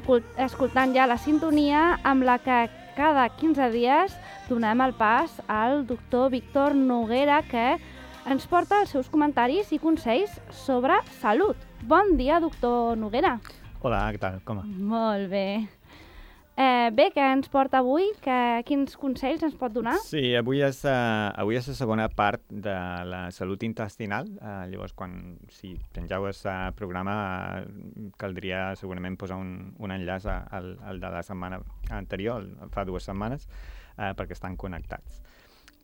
escoltant ja la sintonia amb la que cada 15 dies donem el pas al doctor Víctor Noguera, que ens porta els seus comentaris i consells sobre salut. Bon dia, doctor Noguera. Hola, què tal? Com va? Molt bé. Bé, què ens porta avui? Quins consells ens pot donar? Sí, avui és la segona part de la salut intestinal. Llavors, si pengeu el programa, caldria segurament posar un enllaç al de la setmana anterior, fa 2 setmanes, perquè estan connectats.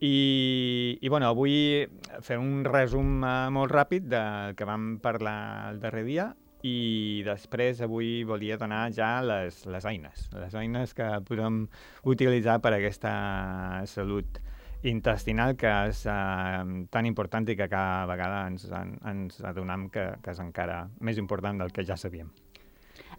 I bueno, avui fer un resum molt ràpid del que vam parlar el darrer dia, i després avui volia donar ja les eines que podem utilitzar per a aquesta salut intestinal, que és tan important i que cada vegada ens adonem que és encara més important del que ja sabíem.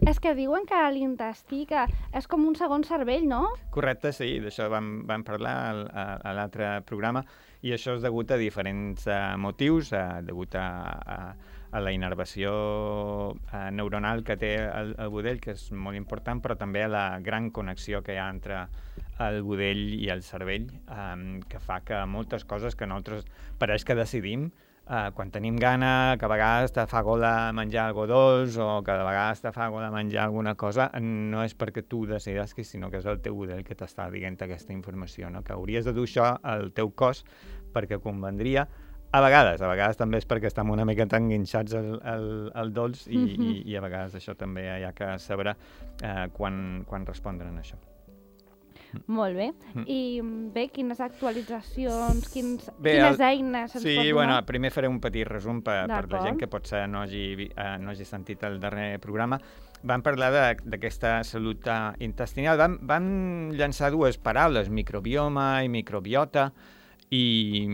És que diuen que l'intestí que és com un segon cervell, no? Correcte, sí, d'això vam parlar a l'altre programa, i això és degut a diferents motius, degut a la innervació neuronal que té el budell, que és molt important, però també a la gran connexió que hi ha entre el budell i el cervell, que fa que moltes coses que nosaltres pareix que decidim, quan tenim gana, que a vegades te fa gola menjar algo dolç o que a vegades te fa gola menjar alguna cosa, no és perquè tu decidessis, sinó que és el teu budell que t'està dient aquesta informació, no? Que hauries de dur això al teu cos perquè convendria. A vegades també és perquè estem una mica tan enganxats al dolç i a vegades això també hi ha que saber quan respondre a això. Molt bé. I bé, quines actualitzacions, quines eines ens pot donar? Sí, bueno, primer faré un petit resum per la gent que potser no hagi sentit el darrer programa. Vam parlar d'aquesta salut intestinal. Vam llançar 2 paraules, microbioma i microbiota, i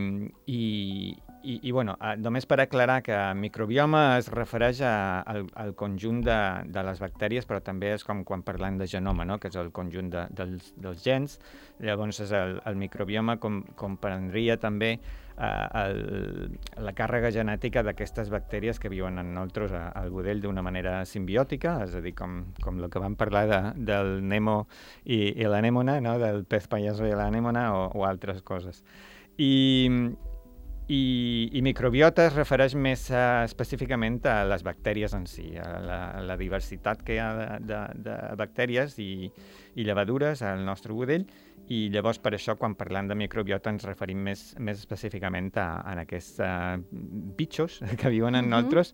bueno, només per aclarar que microbioma es refereix al conjunt de les bactèries, però també és com quan parlem de genoma, no? Que és el conjunt dels gens. Llavors és el microbioma comprendria també la càrrega genètica d'aquestes bactèries que viuen en nosaltres al budell d'una manera simbiòtica, és a dir, com el que vam parlar del Nemo i l'anèmona, no? Del pez pallasso i l'anèmona o altres coses. I microbiota es refereix més específicament a les bactèries en si, a la diversitat que hi ha de bactèries i llevadures al nostre budell, i llavors per això quan parlem de microbiota ens referim més específicament a aquests bitxos que viuen en nosaltres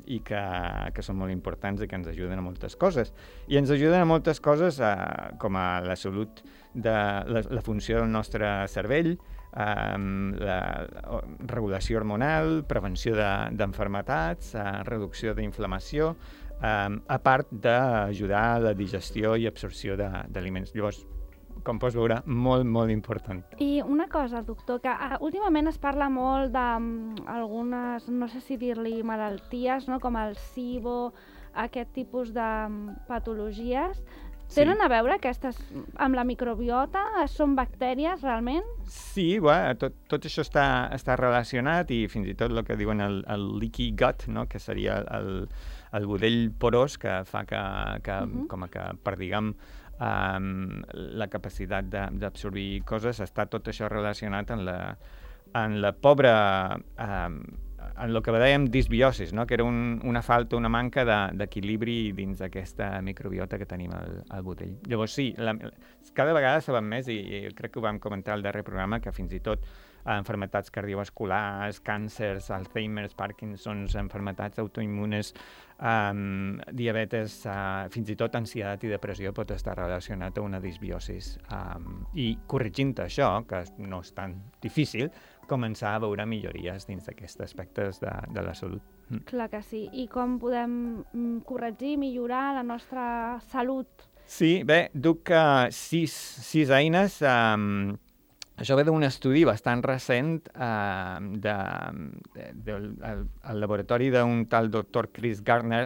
i que són molt importants i que ens ajuden a moltes coses. I ens ajuden a moltes coses com a la salut, la funció del nostre cervell, la regulació hormonal, prevenció d'enfermetats, reducció d'inflamació, a part d'ajudar a la digestió i absorció d'aliments. Llavors, com pots veure, molt, molt important. I una cosa, doctor, que últimament es parla molt d'algunes, no sé si dir-li malalties, no? Com el SIBO, aquest tipus de patologies. Tenen a veure aquestes amb la microbiota? Són bactèries, realment? Sí, tot això està relacionat, i fins i tot el que diuen el leaky gut, no? Que seria el budell porós, que fa com que perdiguem la capacitat d'absorbir coses. Està tot això relacionat en la pobra... en el que dèiem disbiosis, no? Que era una falta, una manca d'equilibri dins d'aquesta microbiota que tenim al budell. Llavors sí, cada vegada sabem més, i crec que ho vam comentar al darrer programa, que fins i tot enfermetats cardiovasculars, càncers, Alzheimer's, Parkinson's, enfermetats autoimmunes, diabetes, fins i tot ansietat i depressió pot estar relacionat a una disbiosis. I corregint això, que no és tan difícil, començar a veure millories dins d'aquests aspectes de la salut. Clar que sí. I com podem corregir, millorar la nostra salut? Sí, bé, duc 6 eines. Això ve d'un estudi bastant recent al laboratori d'un tal doctor Chris Gardner,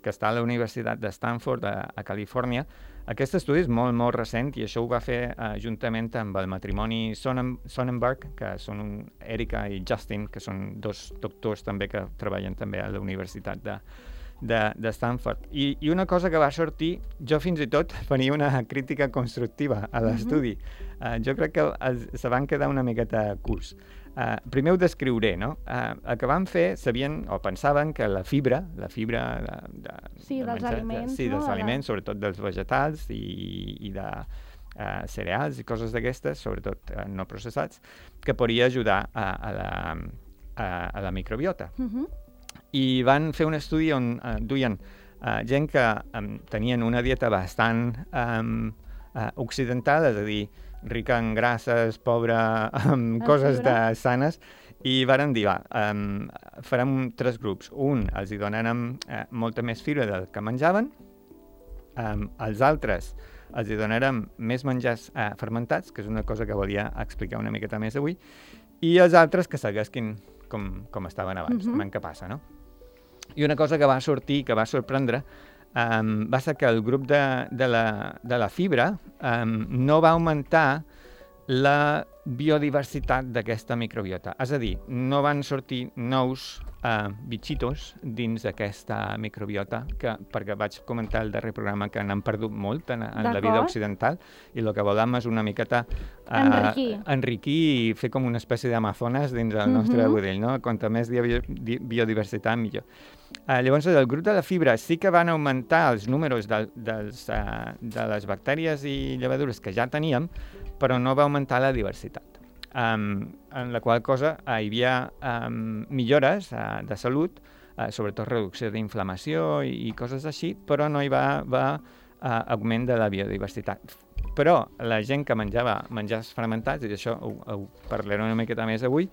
que està a la Universitat de Stanford, a Califòrnia. Aquest estudi és molt, molt recent, i això ho va fer juntament amb el matrimoni Sonnenberg, que són Erika i Justin, que són 2 doctors també que treballen també a la Universitat de Stanford. I una cosa que va sortir, jo fins i tot faria una crítica constructiva a l'estudi. Jo crec que se van quedar una miqueta curts. Primer ho descriuré, no? El que van fer, sabien o pensaven que la fibra dels aliments, dels aliments, sobretot dels vegetals i de cereals i coses d'aquestes, sobretot no processats, que podria ajudar a la microbiota. I van fer un estudi on duien gent que tenien una dieta bastant occidental, és a dir, rica en grasses, pobra en coses sanes, i varen dir, farem 3 grups. Un, els hi donarem molta més fibra del que menjaven, els altres els hi donarem més menjars fermentats, que és una cosa que volia explicar una miqueta més avui, i els altres que seguessin com estaven abans, veiem què passa, no? I una cosa que va sortir, que va sorprendre, va ser que el grup de la fibra no va augmentar la biodiversitat d'aquesta microbiota. És a dir, no van sortir nous bitxitos dins d'aquesta microbiota, perquè vaig comentar al darrer programa que n'han perdut molt en la vida occidental, i el que volem és una miqueta enriquir i fer com una espècie d'amazones dins del nostre budell, no? Quanta més biodiversitat, millor. Llavors, el grup de la fibra sí que van augmentar els números de les bactèries i llevadures que ja teníem, però no va augmentar la diversitat. En la qual cosa hi havia millores de salut, sobretot reducció d'inflamació i coses així, però no hi va augment de la biodiversitat. Però la gent que menjava menjars fermentats, i d'això ho parlaré una miqueta més avui,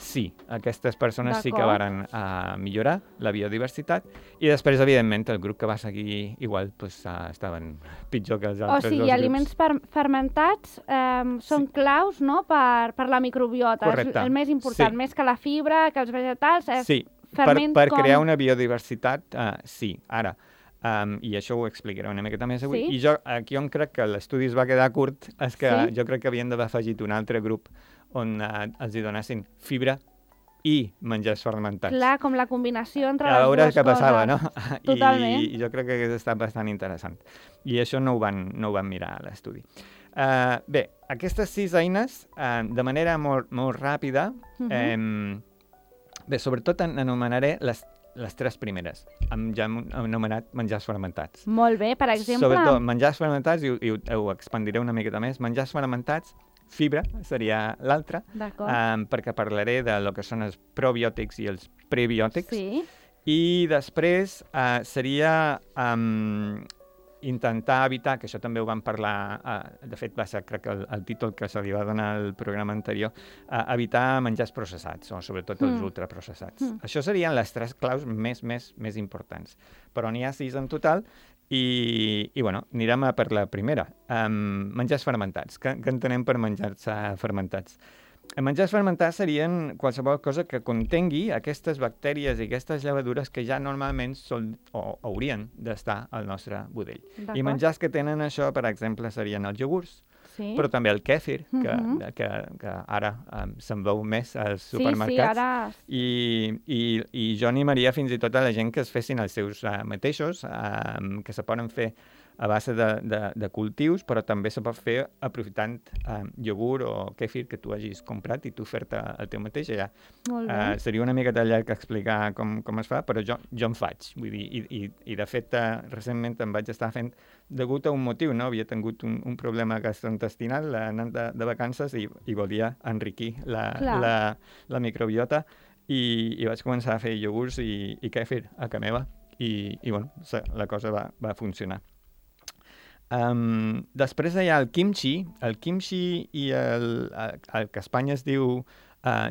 sí, aquestes persones sí que varen millorar la biodiversitat, i després, evidentment, el grup que va seguir igual estaven pitjor que els altres dos grups. O sigui, aliments fermentats són claus, no?, per la microbiota. Correcte. És el més important, més que la fibra, que els vegetals. Sí, per crear una biodiversitat, sí. Ara, i això ho explicaré una miqueta més avui. I jo, aquí on crec que l'estudi es va quedar curt, és que jo crec que havien d'haver afegit un altre grup on els hi donessin fibra i menjars fermentats. Clar, com la combinació entre les dues coses. A veure què passava, no? Totalment. I jo crec que hagués estat bastant interessant. I això no ho van mirar a l'estudi. Bé, aquestes 6 eines, de manera molt ràpida, bé, sobretot anomenaré les 3 primeres. Ja hem anomenat menjars fermentats. Molt bé, per exemple... Sobretot menjars fermentats, i ho expandiré una miqueta més, menjars fermentats, fibra seria l'altra, perquè parlaré de lo que són els probiòtics i els prebiòtics. Sí. I després seria intentar evitar, que això també ho vam parlar, de fet va ser crec que el títol que se li va donar al programa anterior, evitar menjars processats, o sobretot els ultraprocessats. Això serien les 3 claus més importants. Però n'hi ha 6 en total, i bueno, anirem a per la primera. Menjars fermentats. Què entenem per menjars fermentats? Menjars fermentats serien qualsevol cosa que contengui aquestes bactèries i aquestes llevadures que ja normalment són o haurien d'estar al nostre budell. I menjars que tenen això, per exemple, serien els iogurts, però també el kèfir, que ara se'n veu més als supermercats. I jo animaria fins i tot a la gent que es fessin els seus mateixos, que se poden fer a base de cultius, però també se pot fer aprofitant iogurt o kèfir que tu hagis comprat i tu fer-te el teu mateix allà. Seria una mica llarg explicar com es fa, però jo en faig. Vull dir, i de fet, recentment em vaig estar fent degut a un motiu, no? Havia tingut un problema gastrointestinal anant de vacances i volia enriquir la microbiota i vaig començar a fer iogurts i kèfir a casa meva i bueno, la cosa va funcionar. Després hi ha el kimchi i el que a Espanya es diu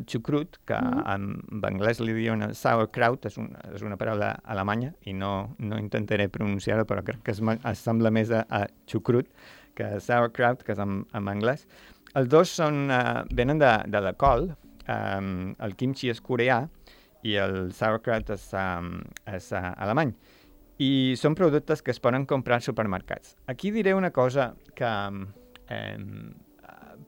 xucrut, que en anglès li diuen sauerkraut, és una paraula alemanya i no intentaré pronunciar-ho, però crec que es sembla més a xucrut que sauerkraut, que és en anglès. Els dos venen de la col, el kimchi és coreà i el sauerkraut és alemany. I són productes que es poden comprar als supermercats. Aquí diré una cosa que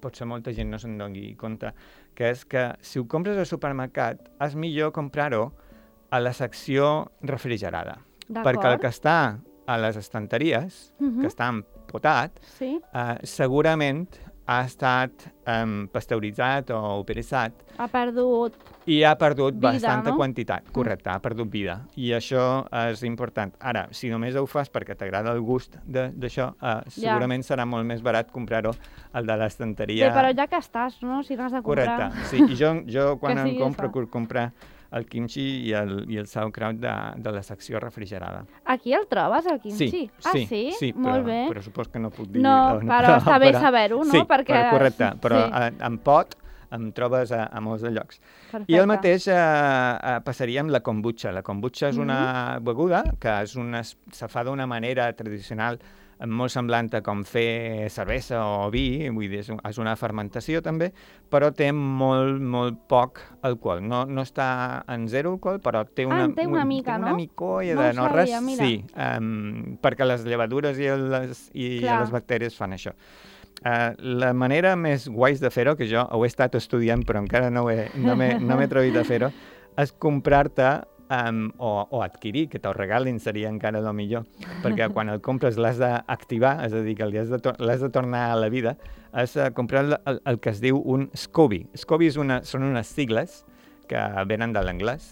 potser molta gent no se'n doni compte, que és que si ho compres al supermercat és millor comprar-ho a la secció refrigerada. D'acord. Perquè el que està a les estanteries, que està empotat, Sí. segurament ha estat pasteuritzat o operitzat Ha perdut... i ha perdut vida, bastanta no? quantitat. Correcte, ha perdut vida. I això és important. Ara, si només ho fas perquè t'agrada el gust d'això, segurament serà molt més barat comprar-ho al de l'estanteria. Bé, però ja que estàs, no? Si n'has de comprar... Correcte, sí. I jo quan Que em sigui compro, això. puc comprar el kimchi i el sauerkraut de la secció refrigerada. Aquí el trobes, el kimchi? Sí? Molt bé. Però supos que no puc dir... No, però està bé saber-ho, no? Sí, Perquè... correcte, però Sí. en pot em trobes a molts de llocs. Perfecte. I el mateix passaria amb la kombucha. La kombucha és una beguda que se fa d'una manera tradicional molt semblant a com fer cervesa o vi, vull dir, és una fermentació també, però té molt poc alcohol. No està en zero alcohol, però té una mica, una no? micolla No de ho res. sabia, mira. Sí, perquè les llevadures i les bactèries fan això. La manera més guais de fer-ho, que jo ho he estat estudiant però encara no m'he atrevit a fer-ho, és comprar-te o adquirir, que te'l regalin seria encara el millor, perquè quan el compres l'has d'activar, és a dir, que l'has de tornar a la vida, és comprar el que es diu un SCOBY. SCOBY són unes sigles que venen de l'anglès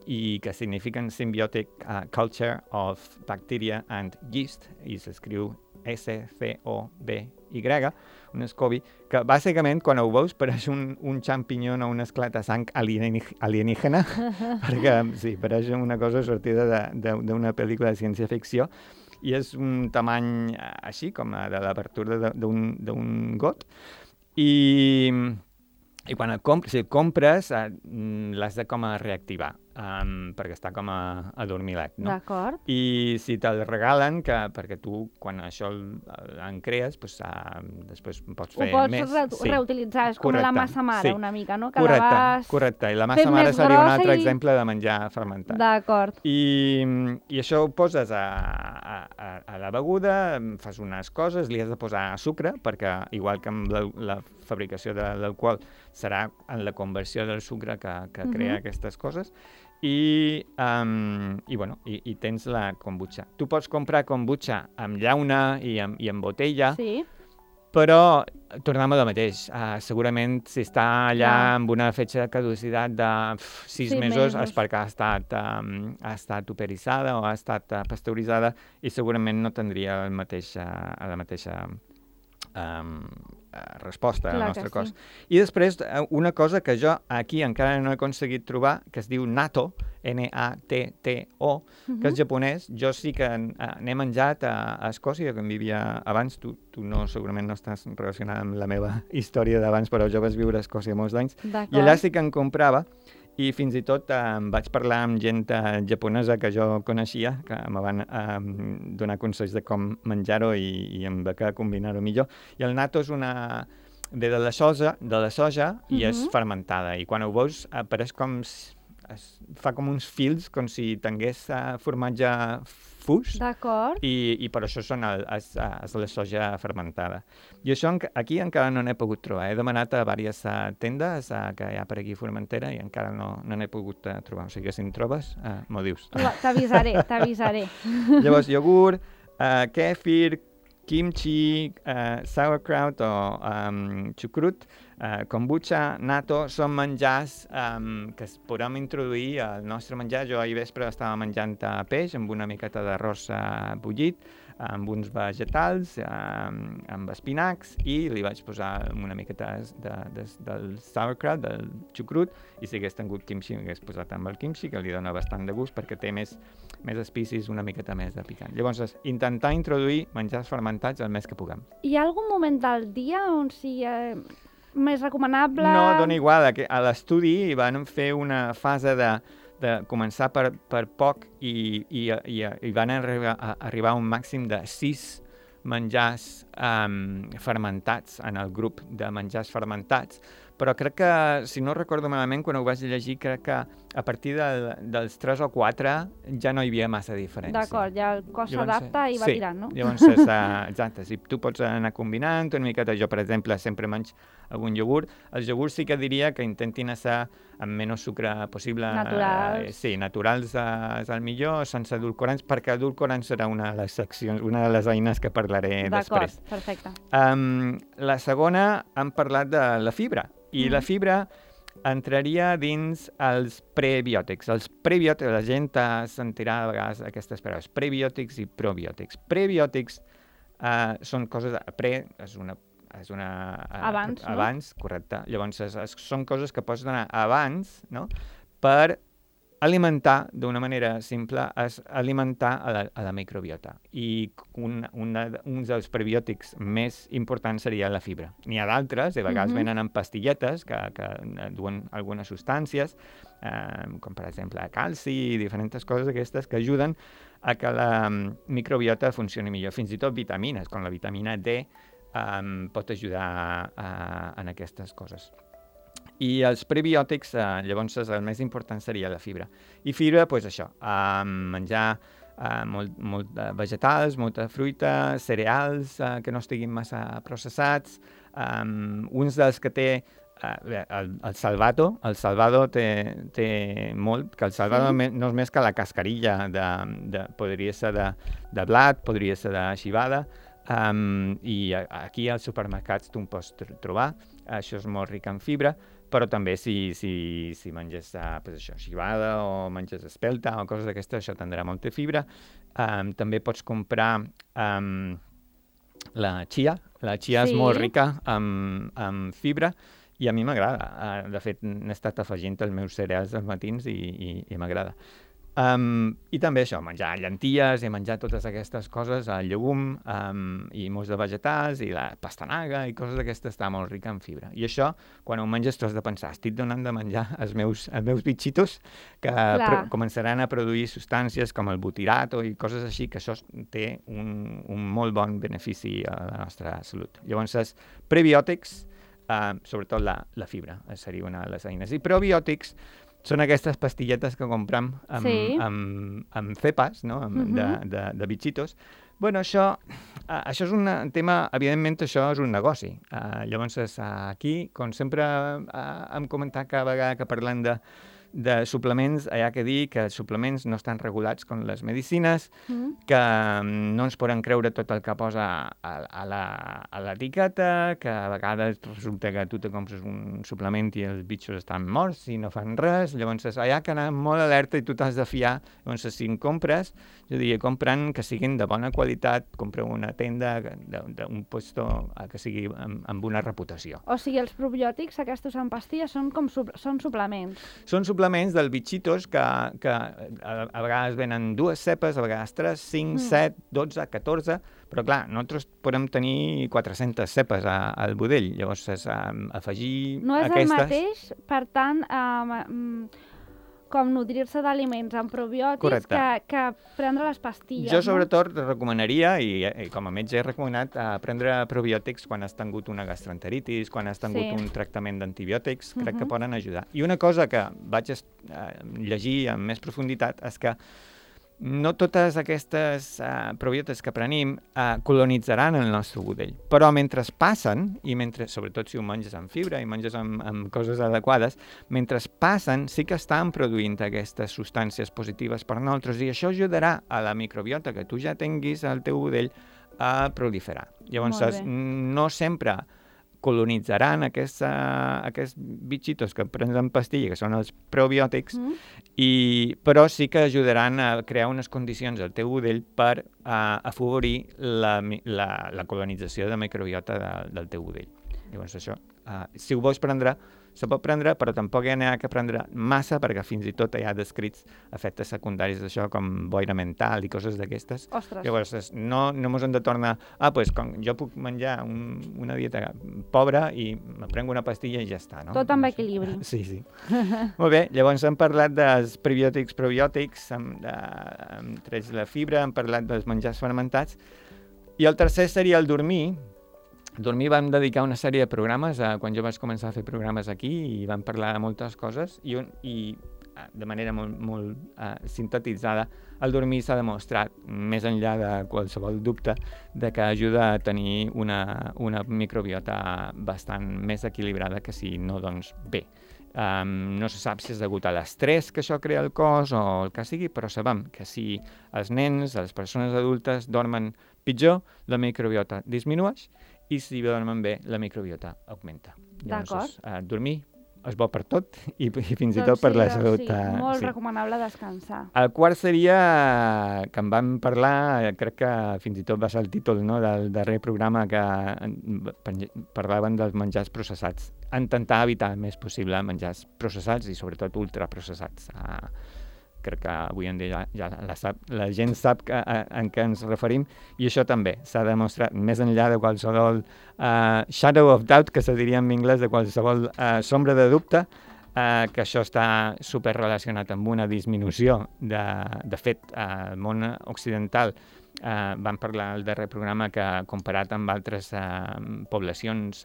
i que signifiquen Symbiotic Culture of Bacteria and Yeast, i s'escriu SCOBY, un SCOBY, que bàsicament quan ho veus pareix un xampinyó o un esclat de sang alienígena, perquè sí, pareix una cosa sortida d'una pel·lícula de ciència-ficció, i és un tamany així, com de l'apertura d'un got, i quan el compres l'has de com a reactivar, perquè està com a dormilet, no? D'acord. I si te'l regalen, perquè tu, quan això en crees, després pots fer més. Ho pots reutilitzar, és com la massa mare, una mica, no? Correcte, i la massa mare seria un altre exemple de menjar fermentat. D'acord. I això ho poses a la beguda, fas unes coses, li has de posar sucre, perquè igual que amb la fabricació de l'alcohol serà en la conversió del sucre que crea aquestes coses, i tens la kombucha. Tu pots comprar kombucha amb llauna i amb botella, sí, però tornem a lo mateix. Segurament si està allà amb una fetge de caducitat de 6 mesos és perquè ha estat operitzada o ha estat pasteuritzada i segurament no tindria la mateixa resposta al nostre cos. I després, una cosa que jo aquí encara no he aconseguit trobar, que es diu natto, N-A-T-T-O, que és japonès. Jo sí que n'he menjat a Escòcia, que em vivia abans. Tu segurament no estàs relacionada amb la meva història d'abans, però jo vas viure a Escòcia molts anys. I allà sí que en comprava, i fins i tot vaig parlar amb gent japonesa que jo coneixia, que me van donar consells de com menjar-ho i amb què combinar-ho millor. I el natto ve de la soja i és fermentada. I quan ho veus apareix fa com uns fils, com si tingués formatge fus. D'acord. I per això és la soja fermentada. I això aquí encara no n'he pogut trobar. He demanat a diverses tendes que hi ha per aquí a Formentera i encara no n'he pogut trobar. O sigui que si en trobes, m'ho dius. T'avisaré. Llavors, iogurt, kefir, kimchi, sauerkraut o xucrut, kombucha, natto, són menjars que es podem introduir al nostre menjar. Jo ahir vespre estava menjant peix amb una miqueta d'arròs bullit, amb uns vegetals, amb espinacs, i li vaig posar una miqueta del sauerkraut, del xucrut, i si hagués tingut kimchi, m'hagués posat amb el kimchi, que li dona bastant de gust, perquè té més espicis, una miqueta més de picant. Llavors, intentar introduir menjars fermentats el més que puguem. Hi ha algun moment del dia on sigui més recomanable? No, dona igual. A l'estudi van fer una fase de començar per poc i van arribar a un màxim de 6 menjars fermentats en el grup de menjars fermentats, però crec que, si no recordo malament, quan ho vaig llegir, crec que a partir dels 3 o 4 ja no hi havia massa diferència. D'acord, ja el cos s'adapta i va tirant, no? Llavors, exacte, si tu pots anar combinant una miqueta, jo, per exemple, sempre menys algun iogurt. Els iogurts sí que diria que intentin ser amb menys sucre possible. Naturals. Sí, naturals és el millor, sense edulcorants, perquè edulcorants serà una de les seccions, una de les eines que parlaré després. D'acord, perfecte. La segona, hem parlat de la fibra, i la fibra entraria dins els prebiòtics. Els prebiòtics, la gent sentirà a vegades aquestes paraules, prebiòtics i probiòtics. Prebiòtics són coses... Pre és una abans, no? Abans, correcte. Llavors, són coses que pots donar abans, no?, per alimentar, d'una manera simple, és alimentar a la microbiota. I un dels prebiòtics més importants seria la fibra. N'hi ha d'altres, de vegades venen en pastilletes que duen algunes substàncies, com per exemple calci i diferents coses d'aquestes que ajuden a que la microbiota funcioni millor. Fins i tot vitamines, com la vitamina D, pot ajudar en aquestes coses. I els prebiòtics, llavors, el més important seria la fibra. I fibra, doncs això, menjar molt vegetals, molta fruita, cereals que no estiguin massa processats. Uns dels que té el salvado té molt, que el salvado no és més que la cascarilla, podria ser de blat, podria ser de civada, i aquí als supermercats tu en pots trobar. Això és molt ric en fibra, però també si menges civada o menges espelta o coses d'aquestes, això tindrà molta fibra. També pots comprar la chia. La chia és molt rica en fibra i a mi m'agrada. De fet, n'he estat afegint els meus cereals als matins i m'agrada. I també això, menjar llenties i menjar totes aquestes coses, el llegum i molts de vegetals i la pastanaga i coses d'aquestes està molt rica en fibra. I això, quan ho menges, tu has de pensar, estic donant de menjar als meus bitxitos que començaran a produir substàncies com el butirato i coses així, que això té un molt bon benefici a la nostra salut. Llavors, prebiòtics, sobretot la fibra, seria una de les eines. I probiòtics són aquestes pastilletes que comprem amb cepes, no?, de bitxitos. Bueno, això és un tema, evidentment això és un negoci. Llavors, aquí, com sempre hem comentat cada vegada que parlem de suplements, hi ha que dir que els suplements no estan regulats com les medicines, que no ens poden creure tot el que posa a l'etiqueta, que a vegades resulta que tu te compres un suplement i els bitxos estan morts i no fan res. Llavors, hi ha que anar molt alerta i tu t'has de fiar. Llavors, si en compres, jo diria, compren que siguin de bona qualitat, compra una tenda d'un puesto que sigui amb una reputació. O sigui, els probiòtics, aquests en pastilles, són suplements. Són suplements dels bitxitos que a vegades venen 2 cepes, a vegades 3, 5, 7, 12, 14, però clar, nosaltres podem tenir 400 cepes al budell, llavors afegir aquestes... No és el mateix, per tant, com nodrir-se d'aliments amb probiòtics que prendre les pastilles. Jo sobretot recomanaria, i com a metge he recomanat, prendre probiòtics quan has tingut una gastroenteritis, quan has tingut un tractament d'antibiòtics, crec que poden ajudar. I una cosa que vaig llegir amb més profunditat és que no totes aquestes probiòtics que prenim colonitzaran el nostre budell, però mentre passen, i sobretot si ho menges amb fibra i menges amb coses adequades, mentre passen sí que estan produint aquestes substàncies positives per nosaltres i això ajudarà a la microbiota que tu ja tinguis al teu budell a proliferar. Llavors, no sempre colonitzaran aquests bitxitos que prens en pastilla, que són els probiòtics, però sí que ajudaran a crear unes condicions al teu budell per afavorir la colonització de microbiota del teu budell. Llavors això, si ho vols prendre, se pot prendre, però tampoc hi ha que prendre massa, perquè fins i tot hi ha descrits efectes secundaris d'això, com boira mental i coses d'aquestes. Ostres. Llavors, no ens hem de tornar... com jo puc menjar una dieta pobra i me prenc una pastilla i ja està, no? Tot amb equilibri. Sí. Molt bé, llavors hem parlat dels prebiòtics, probiòtics, hem tret la fibra, hem parlat dels menjars fermentats, i el tercer seria el dormir. Dormir vam dedicar una sèrie de programes quan jo vaig començar a fer programes aquí i vam parlar de moltes coses i de manera molt sintetitzada, el dormir s'ha demostrat, més enllà de qualsevol dubte, de que ajuda a tenir una microbiota bastant més equilibrada que si no, doncs bé. No se sap si és degut a l'estrès que això crea el cos o el que sigui, però sabem que si els nens, les persones adultes dormen pitjor, la microbiota disminueix i si dormen bé, la microbiota augmenta. D'acord. Dormir és bo per tot i fins i tot per la salut. Sí, molt recomanable descansar. El quart seria, que en vam parlar, crec que fins i tot va ser el títol, no?, del darrer programa que parlaven dels menjars processats. Intentar evitar el més possible menjars processats i sobretot ultraprocessats. Crec que avui en dia ja la gent sap en què ens referim i això també s'ha demostrat més enllà de qualsevol shadow of doubt, que se diria en anglès, de qualsevol sombra de dubte, que això està superrelacionat amb una disminució. De fet, al món occidental vam parlar al darrer programa que comparat amb altres poblacions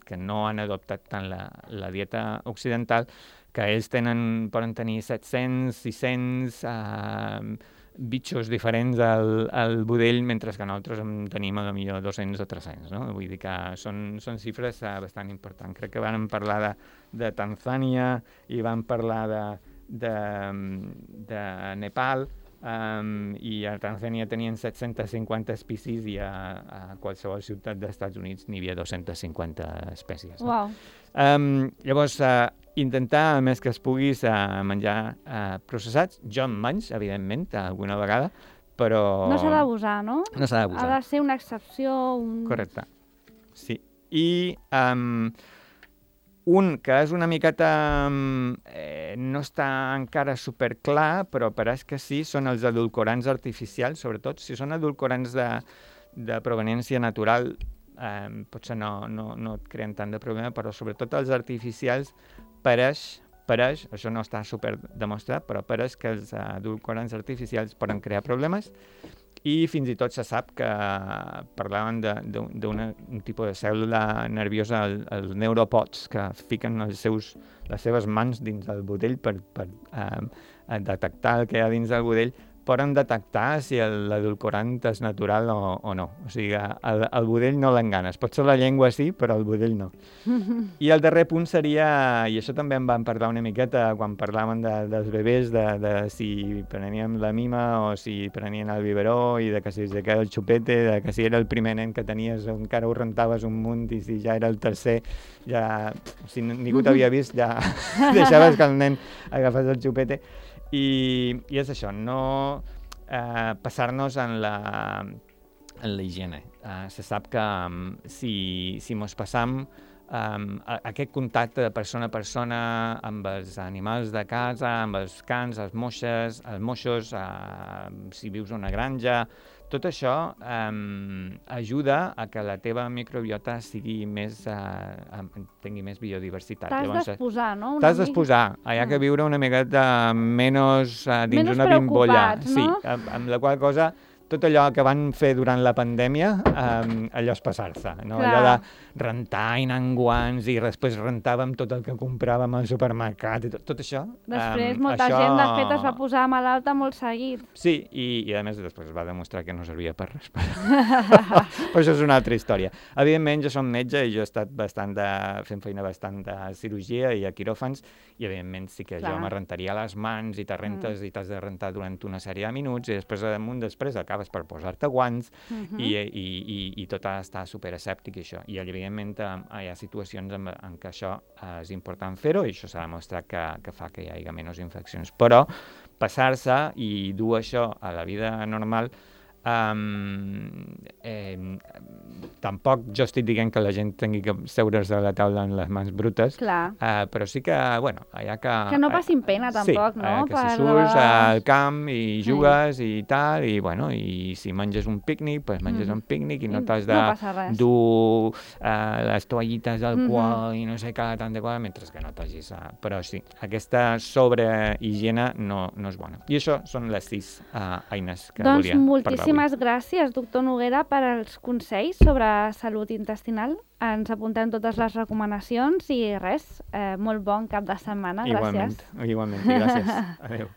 que no han adoptat tant la dieta occidental, que ells poden tenir 700, 600 bitxos diferents al budell, mentre que nosaltres en tenim potser 200 o 300, no? Vull dir que són xifres bastant importants. Crec que vam parlar de Tanzània i vam parlar de Nepal, i a Tanzània tenien 750 espècies i a qualsevol ciutat dels Estats Units n'hi havia 250 espècies. No? Wow. Llavors, intentar, el més que es pugui, menjar processats. Jo en menys, evidentment, alguna vegada, però... No s'ha d'abusar, no? No s'ha d'abusar. Ha de ser una excepció. Correcte. Sí. I un que és una miqueta... no està encara superclar, però pareix que sí, són els edulcorants artificials, sobretot. Si són edulcorants de proveniència natural, potser no et creen tant de problema, però sobretot els artificials pareix, això no està super demostrat, però pareix que els edulcorants artificials poden crear problemes i fins i tot se sap que parlaven d'un tipus de cèl·lula nerviosa, els neuropods, que fiquen les seves mans dins del budell per detectar el que hi ha dins del budell, poden detectar si l'edulcorant és natural o no. O sigui, el budell no l'enganes. Potser la llengua sí, però el budell no. I el darrer punt seria, i això també en vam parlar una miqueta quan parlàvem dels bebès, de si preníem la mima o si prenien el biberó i de que si era el xupete, de que si era el primer nen que tenies encara ho rentaves un munt i si ja era el tercer, ja, si ningú t'havia vist, ja deixaves que el nen agafés el xupete. I és això, no passar-nos en la higiene. Se sap que si mos passam aquest contacte de persona a persona amb els animals de casa, amb els cans, els moixos, si vius a una granja, tot això ajuda a que la teva microbiota tingui més biodiversitat. T'has d'exposar, no? T'has d'exposar. Hi ha que viure una miqueta menys dins una bimbolla. No? Sí, amb la qual cosa tot allò que van fer durant la pandèmia, allò és passar-se, no? Allò de rentar i anar en guants i després rentàvem tot el que compràvem al supermercat i tot això. Després molta gent, de fet, es va posar malalta molt seguit. Sí, i a més després es va demostrar que no servia per res. Però això és una altra història. Evidentment, jo som metge i jo he estat fent feina bastant de cirurgia i a quiròfans i evidentment sí que jo me rentaria les mans i te rentes i t'has de rentar durant una sèrie de minuts i després acabes per posar-te guants i tot ha d'estar superasèptic i això. I evidentment hi ha situacions en què això és important fer-ho i això s'ha demostrat que fa que hi hagi menys infeccions. Però passar-se i dur això a la vida normal tampoc jo estic dient que la gent tingui que seure's a la taula amb les mans brutes, però sí que, hi ha que... Que no passin pena, tampoc, no? Que si surts al camp i jugues i tal, i si menges un pícnic, doncs menges un pícnic i no t'has de dur les toallites al qual i no sé què, tant de cosa, mentre que no t'hagis... Però sí, aquesta sobrehigiene no és bona. I això són les 6 eines que volia parlar. moltíssimes gràcies, doctor Noguera, per als consells sobre salut intestinal. Ens apuntem totes les recomanacions i res, molt bon cap de setmana. Gràcies. Igualment, gràcies. Adéu.